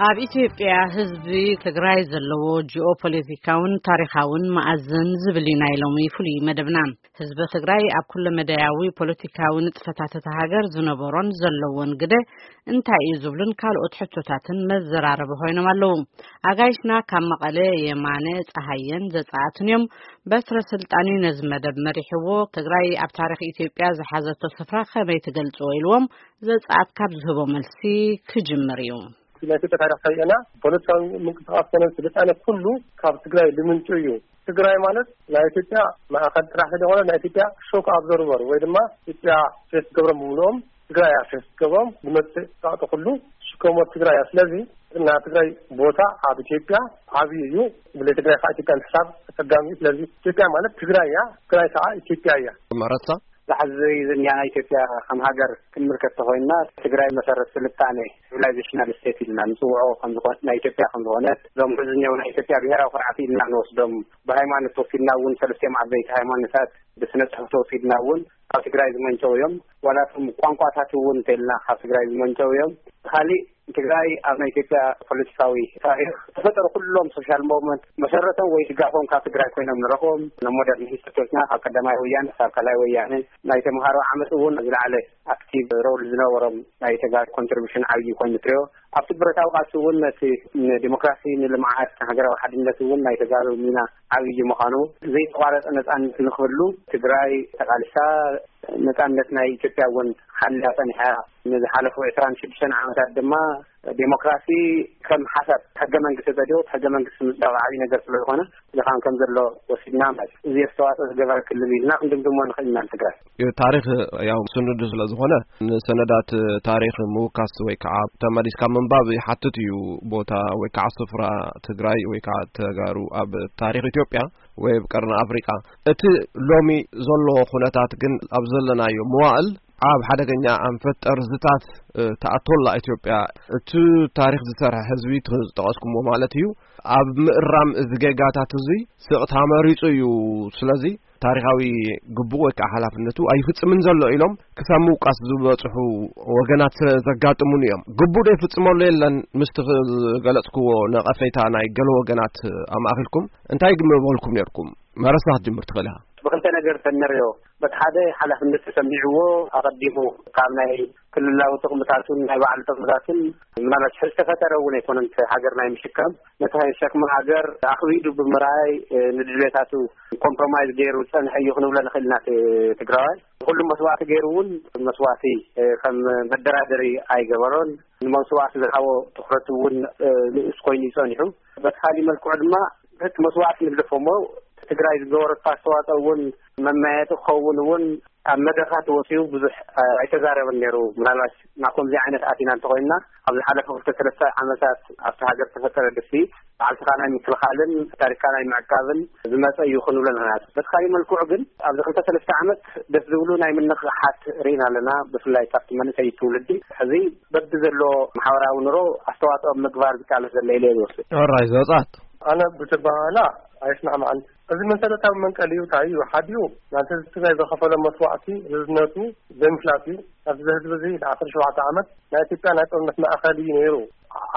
ኣብ ኢትዮጵያ ህዝቢ ትግራይ ዘለዎ ጂኦፖለቲካውን ታሪኻውን መኣዝን ዝብል እዩ ናይ ሎሚ ፍሉይ መደብና። ህዝቢ ትግራይ ኣብ ኩለ መዳያዊ ፖለቲካዊ ንጥፈታት እታ ሃገር ዝነበሮን ዘለዎን ግደ እንታይ እዩ ዝብሉን ካልኦት ሕቶታትን መዘራረቢ ኮይኖም ኣለዉ። ኣጋይሽና ካብ መቐለ የማነ ፀሃየን ዘፀኣትን እዮም። በትረ ስልጣን እዩ ነዚ መደብ መሪሕዎ። ትግራይ ኣብ ታሪኽ ኢትዮጵያ ዝሓዘቶ ስፍራ ከመይ ትገልፅዎ ኢልዎም ዘፀኣት ካብ ዝህቦ መልሲ ክጅምር እዩ። ናይ ኢትዮጵያ ታሪኽ ከይእና ፖለቲካዊ ምንቅስቃስ ኮነ ስልጣነ ኩሉ ካብ ትግራይ ልምንጩ እዩ። ትግራይ ማለት ናይ ኢትዮጵያ ማእኸል ጥራሕ ስለሆነ ናይ ኢትዮጵያ ሾክ ኣብዞርቨር ወይ ድማ ኢትዮጵያ ፌስ ገብሮም ብምልኦም ትግራይ እያ ፌስ ገብሮም ዝመፅእ ፃዕቂ ኩሉ ሽከሞ ትግራይ እያ። ስለዚ ናይ ትግራይ ቦታ ኣብ ኢትዮጵያ ዓብዪ እዩ። ብለ ትግራይ ከዓ ኢትዮጵያ ምሕሳብ ኣፀጋሚ እዩ። ስለዚ ኢትዮጵያ ማለት ትግራይ እያ፣ ትግራይ ከዓ ኢትዮጵያ እያ። መረሳ ዝሓዚ ዝንያና ኢትዮጵያ ከም ሃገር ክንምልከት ተኮይንና ትግራይ መሰረት ስልጣነ ሲቪላይዜሽናል ስቴት ኢልና ንፅውዖ ከምዝኾነ ናይ ኢትዮጵያ ከምዝኾነ እዞም ሕዝኛው ናይ ኢትዮጵያ ብሔራዊ ኩርዓት ኢልና ንወስዶም ብሃይማኖት ተወሲድና እውን ሰለስቲኦም ዓበይቲ ሃይማኖታት ብስነ ጽሑፍ ተወሲድና እውን ኣብ ትግራይ ዝመንጨው እዮም። ዋላቶም ቋንቋታት እውን እንተልና ካብ ትግራይ ዝመንጨው እዮም። ካሊእ ትግራይ ኣብ ናይ ኢትዮጵያ ፖለቲካዊ ታሪኽ ዝተፈጠሩ ኩሎም ሶሻል ሞቭመንት መሰረቶም ወይ ድጋፎም ካብ ትግራይ ኮይኖም ንረኽቦም። ሞደርን ሂስትሪዎችና ካብ ቀዳማይ ወያነ ክሳብ ካልኣይ ወያነ ናይ ተምሃሮ ዓመፅ እውን ዝለዓለ ኣክቲቭ ሮል ዝነበሮም ናይ ተጋሩ ኮንትሪቢሽን ዓብዪ ኮይኑ ትሪኦ። ኣብቲ ብረታዊ ቃልሲ እውን ነቲ ንዲሞክራሲ ንልምዓት ንሃገራዊ ሓድነት እውን ናይ ተጋሩ ሚና ዓብዪ ምዃኑ ዘይተቋረፀ ነፃነት ንክህሉ ትግራይ ተቃልሳ ነፃነት ናይ ኢትዮጵያ እውን ሓልያ ፀኒሓ። ንዝሓለፉ ዕስራን ሽዱሽተን ዓመታት ድማ ዴሞክራሲ ከም ሓሳብ ሕገ መንግስቲ ተዲኡ ሕገ መንግስቲ ምፅዳቕ ዓብዪ ነገር ስለዝኾነ ዝኻን ከም ዘሎ ወሲድና ማለት እዚ ኣስተዋፅኦ ዝገበረ ክልል ኢልና ክንድምድሞ ንኽእል ኢና። ትግራይ ታሪኽ ያው ስኑድ ስለዝኾነ ንሰነዳት ታሪኽ ምውካስ ወይ ከዓ ተመሊስካ ምንባብ ይሓትት እዩ። ቦታ ወይ ከዓ ስፍራ ትግራይ ወይ ከዓ ተጋሩ ኣብ ታሪኽ ኢትዮጵያ ወይ ኣብ ቀርኒ ኣፍሪቃ እቲ ሎሚ ዘሎ ኩነታት ግን ኣብ ዘለናዮ መዋእል ኣብ ሓደገኛ ኣንፈት ጠርዝታት ተኣቶላ ኢትዮጵያ እቲ ታሪኽ ዝሰርሐ ህዝቢ ዝጠቐስኩሞ ማለት እዩ። ኣብ ምእራም እዚ ጌጋታት እዚ ስቕታ መሪፁ እዩ። ስለዚ ታሪኻዊ ግቡእ ወይ ከዓ ሓላፍነቱ ኣይፍፅምን ዘሎ ኢሎም ክሳብ ምውቃስ ዝበፅሑ ወገናት ስለ ዘጋጥሙን እዮም። ግቡእ ዶ ይፍፅመሉ የለን ምስቲ ዝገለፅክዎ ነቐፌታ ናይ ገለ ወገናት ኣማእኺልኩም እንታይ ግምበልኩም ነርኩም? መረሳ ክትጅምር ትኽእል ኢኻ። ብክልተ ነገር ተንርዮ በቲ ሓደ ሓላፍነት ተሰሚዕዎ ኣቐዲሙ ካብ ናይ ክልላዊ ጥቕምታቱን ናይ ባዕሉ ጥቕምታትን ምናልባት ዝተፈጠረ እውን ኣይኮነን ሃገር ናይ ምሽካም ነቲ ሸክሚ ሃገር ኣኽቢዱ ብምርኣይ ንድልየታቱ ኮምፕሮማይዝ ገይሩ ዝፀንሐ እዩ ክንብሎ ንኽእል ኢና። ትግራዋይ ኩሉ መስዋእቲ ገይሩ እውን መስዋእቲ ከም መደራደሪ ኣይገበሮን። ንመስዋእቲ ዝሃቦ ትኩረት እውን ንኡስ ኮይኑ ይፀኒሑ። በቲ ካሊእ መልክዑ ድማ እቲ መስዋእቲ ንግደፎ እሞ ትግራይ ዝገበረቶ ኣስተዋፅኦ እውን መመያየጢ ክኸውን እውን ኣብ መድረኻት ወፂኡ ብዙሕ ኣይተዛረበን ነይሩ። ምናልባት ናብ ከምዚ ዓይነት ኣቲና እንተኮይንና ኣብ ዝሓለፈ ክልተ ሰለስተ ዓመታት ኣብቲ ሃገር ተፈጠረ ድፍኢት ባዕልትኻ ናይ ምክልኻልን ታሪክካ ናይ ምዕቃብን ዝመፀ እዩ ክንብሎ ንኽእል። በቲ ካሊእ መልክዑ ግን ኣብዚ ክልተ ሰለስተ ዓመት ደስ ዝብሉ ናይ ምንቕሓት ርኢና ኣለና። ብፍላይ ካብቲ መንእሰይ ትውልዲ ሕዚ በቢ ዘሎ ማሕበራዊ ኑሮ ኣስተዋፅኦ ምግባር ዝቃለስ ዘሎ ኢለ እየ ዝወስድ። ሕራይ ዘውፃት ኣነ ብትባህላ ኣይስማዕማዕን። እዚ መሰረታዊ መንቀሊኡ እንታይ እዩ? ሓዲኡ ናንተ ትግራይ ዝኸፈሎ መስዋእቲ ርዝነቱ ዘይምፍላጥ እዩ። ኣብዚ ህዝቢ እዚ ንዓሰርተ ሸውዓተ ዓመት ናይ ኢትዮጵያ ናይ ጦርነት ማእኸል እዩ ነይሩ።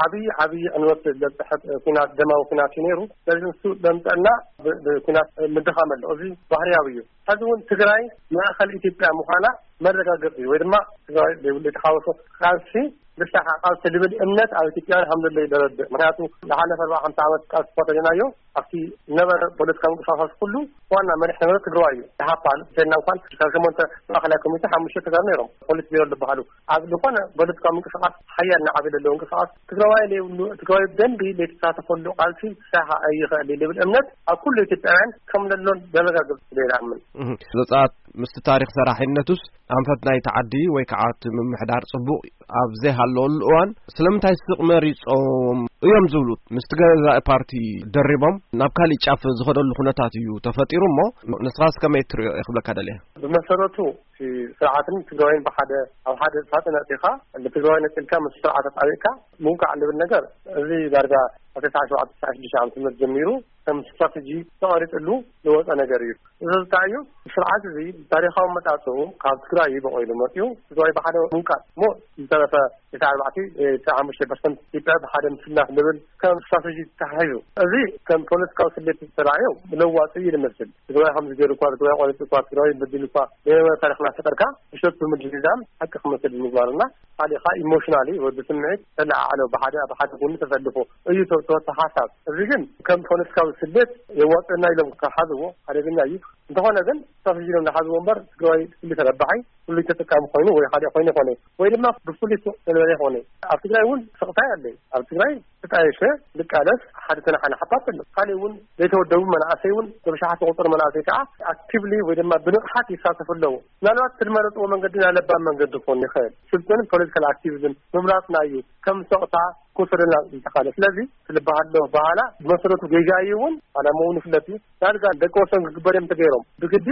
ዓብዪ ዓብዪ ዕንወት ዘብፅሐ ኩናት፣ ደማዊ ኩናት እዩ ነይሩ። ስለዚ ንሱ ዘምፀልና ብ- ብኩናት ምድኻም ኣሎ። እዚ ባህርያዊ እዩ። ሕዚ እውን ትግራይ ማእኸል ኢትዮጵያ ምዃና መረጋገፂ እዩ። ወይ ድማ ትግራይ ዘይብሉ የተሓወሶ ቃልሲ ንሳኻ ቃልሲ ልብል እምነት ኣብ ኢትዮጵያውያን ከም ዘሎ እዩ ዘረድእ። ምክንያቱ ዝሓለፈ ኣርባዓ ሓምሳ ዓመት ቃልሲ እኳ ተሪእናዮ ኣብቲ ነበረ ፖለቲካዊ ምንቅስቃሳት ኩሉ ዋና መሪሕ ነበረ ትግራዋይ እዩ። ኢህኣፓ እንተልና እንኳን ካብ ሸሞንተ ማእኸላይ ኮሚቴ ሓሙሽተ ተጋሩ ነይሮም። ፖሊት ቢሮ ዝበሃሉ ኣብ ዝኾነ ፖለቲካዊ ምንቅስቃስ ሓያል ንዓቢ ዘለዎ ምንቅስቃስ ትግራዋይ ዘይብሉ ትግራዋይ ብደንቢ ዘይተሳተፈሉ ቃልሲ ክሳኻ ኣይኽእል እዩ ልብል እምነት ኣብ ኩሉ ኢትዮጵያውያን ከም ዘሎን ዘረጋግጽ ኢለ ይኣምን። እህ፣ ዘጻት ምስቲ ታሪኽ ሰራሒነቱስ ኣንፈት ናይቲ ዓዲ ወይ ከዓ እቲ ምምሕዳር ጽቡቕ ኣብ ዘይሃለወሉ እዋን ስለምንታይ ስቕ መሪጾም እዮም ዝብሉ ምስቲ ገዛኢ ፓርቲ ደሪቦም ናብ ካሊእ ጫፍ ዝኸደሉ ኩነታት እዩ ተፈጢሩ እሞ ንስኻስ ከመይ ትሪኦ እየ ክብለካ ደልየ። ብመሰረቱ እቲ ስርዓትን ትግራዋይን ብሓደ ኣብ ሓደ ሳጥን ኣእቲኻ ንትግራዋይ ነፂልካ ምስ ስርዓት ኣጣቢቕካ ምውቃዕ ልብል ነገር እዚ ዳርጋ ኣብ ተስዓ ሸውዓተ ተስዓ ሽዱሽተ ዓመተ ምህረት ጀሚሩ ከም ስትራተጂ ተቐሪፅሉ ዝወፀ ነገር እዩ። እዚ ዝታዩ ስርዓት እዚ ታሪኻዊ መጣፅኡ ካብ ትግራይ እዩ በቆይሉ መፅኡ። ትግራይ ብሓደ ምንቃል እሞ ዝተረፈ እቲ ኣርባዕተ እቲ ሓሙሽተ ፐርሰንት ኢትዮጵያ ብሓደ ምስላፍ ዝብል ከም ስትራተጂ ተታሒዙ፣ እዚ ከም ፖለቲካዊ ስሌት ዝተራእዮ ለዋፂ እዩ ዝመስል። ትግራይ ከምዚ ገይሩ እኳ፣ ትግራይ ቆሪፁ እኳ፣ ትግራይ በዲሉ እኳ፣ ገለ ታሪኽና ፈጠርካ ምሸት ብምድልዳል ሓቂ ክመስል ምግባርና፣ ካልእኻ ኢሞሽናሊ ወይ ብስምዒት ተለዓዕሎ፣ ብሓደ ብሓደ ጎኒ ተሰልፎ እዩ ተወሰተ ሓሳብ። እዚ ግን ከም ፖለቲካዊ ስሌት የዋፅና ኢሎም ክሓዝዎ ሓደገኛ እዩ። እንተኾነ ግን ስትራተጂ ኢሎም ዝሓዝዎ እምበር ትግራይ ፍሉይ ተረባሓይ፣ ፍሉይ ተጠቃሚ ኮይኑ ወይ ሓደ ኮይኑ ይኾነ ወይ ድማ ብፍሉይ ሱቕ ተነበረ ይኾነ። ኣብ ትግራይ እውን ስቕታ ኣለ። ኣብ ትግራይ ተጣየሸ ልቃለስ ሓደ ተናሓነ ሓፓት ኣሎ። ካልእ እውን ዘይተወደቡ መናእሰይ እውን ብብሽሓት ዝቑፀሩ መናእሰይ ከዓ ኣክቲቭሊ ወይ ድማ ብንቕሓት ይሳተፉ ኣለዉ። ምናልባት እቲ ዝመረፅዎ መንገዲ ናይ ለባም መንገዲ ክኾን ይኽእል። ስልጡን ፖለቲካል ኣክቲቪዝም ምምራፅና እዩ ከም ሰቕታ ክወሰደና ዝተኻለ። ስለዚ ትልበሃሎ በሃላ ብመሰረቱ ጌጋ እዩ እውን፣ ዓላማ እውን ይፍለጥ እዩ። ዳርጋ ደቂ ወሰን ክግበር እዮም ተገይሮም። ብግዲ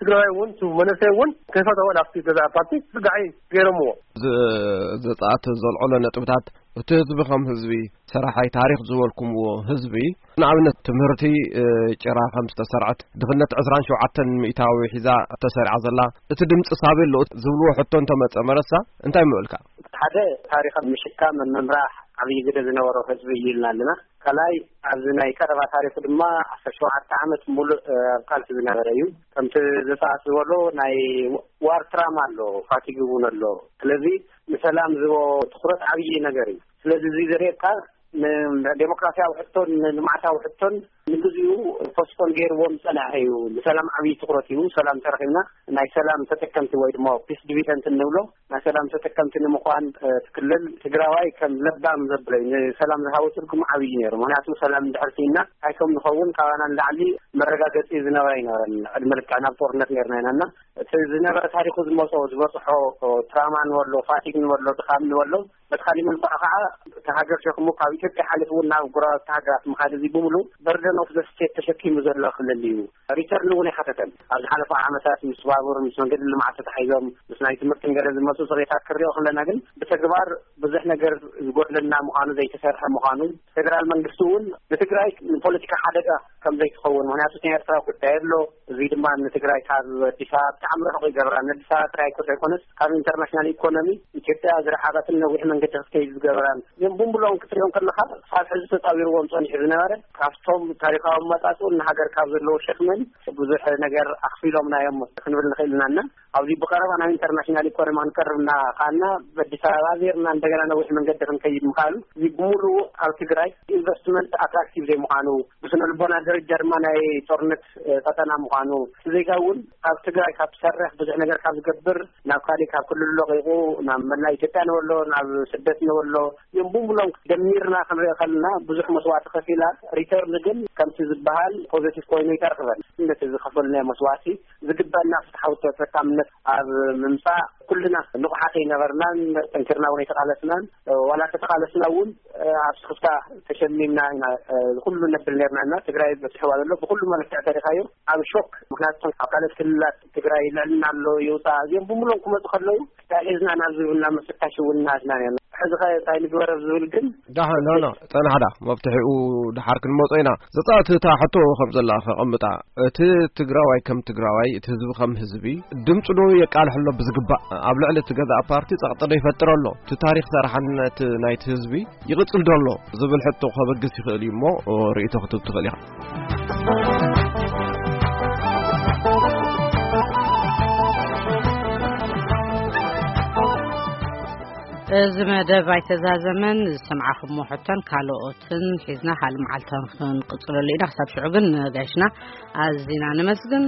ትግራይ እውን፣ እቲ መንእሰይ እውን ከይፈተወ ናብቲ ገዛ ፓርቲ ክርጋዕ ገይሮምዎ። ዝ-፣ ዘጻት ዘልዕሎ ነጥብታት፣ እቲ ህዝቢ ከም ህዝቢ፣ ሰራሓይ ታሪኽ ዝበልኩምዎ ህዝቢ፣ ንኣብነት ትምህርቲ፣ እ፣ ጭራ ከም ዝተሰርዐት፣ ድኽነት ዕስራን ሸውዓተን ሚእታዊ ሒዛ ተሰሪዓ ዘላ፣ እቲ ድምፂ ሳቤ ኣሎ ዝብልዎ ሕቶ እንተመጸ መረሳ፣ እንታይ ምበልካ? ሓደ፣ ታሪኽ ምሽካም ምምራሕ ዓብዪ ግደ ዝነበሮ ህዝቢ እዩ ኢልና ኣለና። ካልኣይ፣ ኣብዚ ናይ ቀረባ ታሪኹ ድማ ዓሰርተ ሸውዓተ ዓመት ሙሉእ፣ እ፣ ኣብ ቃልሲ ዝነበረ እዩ። ከምቲ ዘጻት ዝበሎ ናይ ዋር ትራማ ኣሎ፣ ፋቲግ እውን ኣሎ። ስለዚ ንሰላም ዝቦ ትኹረት ዓብዪ ነገር እዩ። ስለዚ እዚ ዘርእየካ ንዴሞክራሲያዊ ሕቶን ንልምዓታዊ ሕቶን ንግዚኡ ፖስፖን ገይርዎም ዝጸንሐ እዩ። ንሰላም ዓብዪ ትኹረት እዩ። ሰላም ተረኺብና ናይ ሰላም ተጠቀምቲ ወይ ድማ ፒስ ዲቪደንት እንብሎ ናይ ሰላም ተጠቀምቲ ንምዃን፣ እ፣ እቲ ክልል ትግራዋይ ከም ለባም ዘብለይ ንሰላም ዝሃቦ ትርጉም ዓብዪ ነይሩ። ምኽንያቱ ሰላም እንድሕር ስኢና እንታይ ከም ንኸውን ካባና ንላዕሊ መረጋገፂ ዝነበረ ኣይነበረን። ዕድመ ልክዕና ኣብ ጦርነት ነይርና ኢና እና እቲ ዝነበረ ታሪኹ ዝመጾ ዝበፅሖ ትራማ ንበሎ፣ ፋቲግ ንበሎ፣ ድኻም ንበሎ በቲ ካሊእ መልክዑ ከዓ እቲ ሃገር ሸክሙ ካብ ኢትዮጵያ ሓሊፉ እውን ናብ ጎረባብቲ ሃገራት ምኻድ፣ እዚ ብምሉእ በርደን ኦፍ ዘ ስቴት ተሸኪሙ ዘሎ ክልል እዩ። ሪተርን እውን ኣይሓተተን። ኣብ ዝሓለፈ ዓመታት ምስ ባቡር፣ ምስ መንገዲ ልምዓት ተታሒዞም፣ ምስ ናይ ትምህርትን ገለ ዝመፁ ፅሬታት ክሪኦ ከለና ግን ብተግባር ብዙሕ ነገር ዝጎድለና ምዃኑ፣ ዘይተሰርሐ ምዃኑ፣ ፌደራል መንግስቲ እውን ንትግራይ ንፖለቲካ ሓደጋ ከም ዘይትኸውን፣ ምኽንያቱ ናይ ኤርትራ ጉዳይ ኣሎ። እዚ ድማ ንትግራይ ካብ ኣዲስ ኣበባ ብጣዕሚ ርሑቕ ይገብራ። ንኣዲስ ኣበባ ጥራይ እኮ ዘይኮነስ ካብ ኢንተርናሽናል ኢኮኖሚ ኢትዮጵያ ዝረሓቐትን ነዊሕ መንገዲ ክትከይድ ዝገብራን እዮም። ብሙሉኦም ክትሪኦም ከለኻ ካብ ሕዚ ተፃዊርዎም ፀኒሑ ዝነበረ ካብቶም ታሪኻዊ ኣመፃፅኡን ንሃገር ካብ ዘለዎ ሸክምን ብዙሕ ነገር ኣኽፊሎምና እዮም ክንብል ንኽእል ኢና እና ኣብዚ ብቐረባ ናብ ኢንተርናሽናል ኢኮኖሚ ክንቀርብ እናኸኣልና በኣዲስ ኣበባ ዜርና እንደገና ነዊሕ መንገዲ ክንከይድ ምኽኣሉ፣ እዚ ብምሉኡ ኣብ ትግራይ ኢንቨስትመንት ኣትራክቲቭ ዘይምዃኑ፣ ብስነ ልቦና ደረጃ ድማ ናይ ጦርነት፣ እ፣ ቀጠና ምዃኑ፣ እቲ ዜጋ እውን ኣብ ትግራይ ካብ ዝሰርሕ ብዙሕ ነገር ካብ ዝገብር ናብ ካሊእ ካብ ክልሉ ለቒቑ ናብ መላእ ኢትዮጵያ ንበሎ ናብ ስደት ንበሎ እዮም። ብሙሉኦም ደሚርና ክንሪኦ ከለና ብዙሕ መስዋእቲ ከፊላ፣ ሪተርን ግን ከምቲ ዝበሃል ፖዘቲቭ ኮይኑ ይተርኽበን። ነቲ ዝኸፈልናዮ መስዋእቲ ዝግበአና ፍትሓዊ ተጠቃምነት ኣብ ምምፃእ ኩልና ንቑሓት ኣይነበርናን፣ ጠንኪርና እውን ኣይተቓለስናን። ዋላ እንተተቓለስና እውን ኣብ ስኽፍታ ተሸሚምና ኢና፣ እ፣ ኩሉ ነብል ነርና እና ትግራይ በፂሕዋ ዘሎ ብኩሉ መለክዕ ተሪኻዮ ኣብ ሾክ። ምክንያቱ ኣብ ካልኦት ክልላት ትግራይ ልዕልና ኣሎ ይውፃእ እዚኦም ብምሎም ክመፁ ከለዉ እንታይ ሒዝና ናብ ዝብልና ምፍታሽ እውን እናትና ነርና። ሕዚ ኸ እንታይ ንግበር ኣብ ዝብል ግን ዳሕ ኖ ኖ፣ ጸናሕዳ መብትሒኡ ድሓር ክንመጾ ኢና። ዘጻወት እታ ሕቶ ከም ዘላ ከቐምጣ፣ እቲ ትግራዋይ ከም ትግራዋይ፣ እቲ ህዝቢ ከም ህዝቢ ድምፁ ዶ የቃልሕ ኣሎ ብዝግባእ? ኣብ ልዕሊ እቲ ገዛእ ፓርቲ ጸቕጢ ዶ ይፈጥር ኣሎ? እቲ ታሪኽ ሰራሕነት ናይቲ ህዝቢ ይቕጽል ዶ ኣሎ ዝብል ሕቶ ከበግስ ይኽእል እዩ እሞ ርእይቶ ክትህብ ትኽእል ኢኻ። እዚ መደብ ኣይተዛዘመን። ዝሰምዓኹሞ ሕቶን ካልኦትን ሒዝና ካልእ መዓልቲ ክንቅጽለሉ ኢና። ክሳብ ሽዑ ግን ንጋሽና ኣዚና ነመስግን።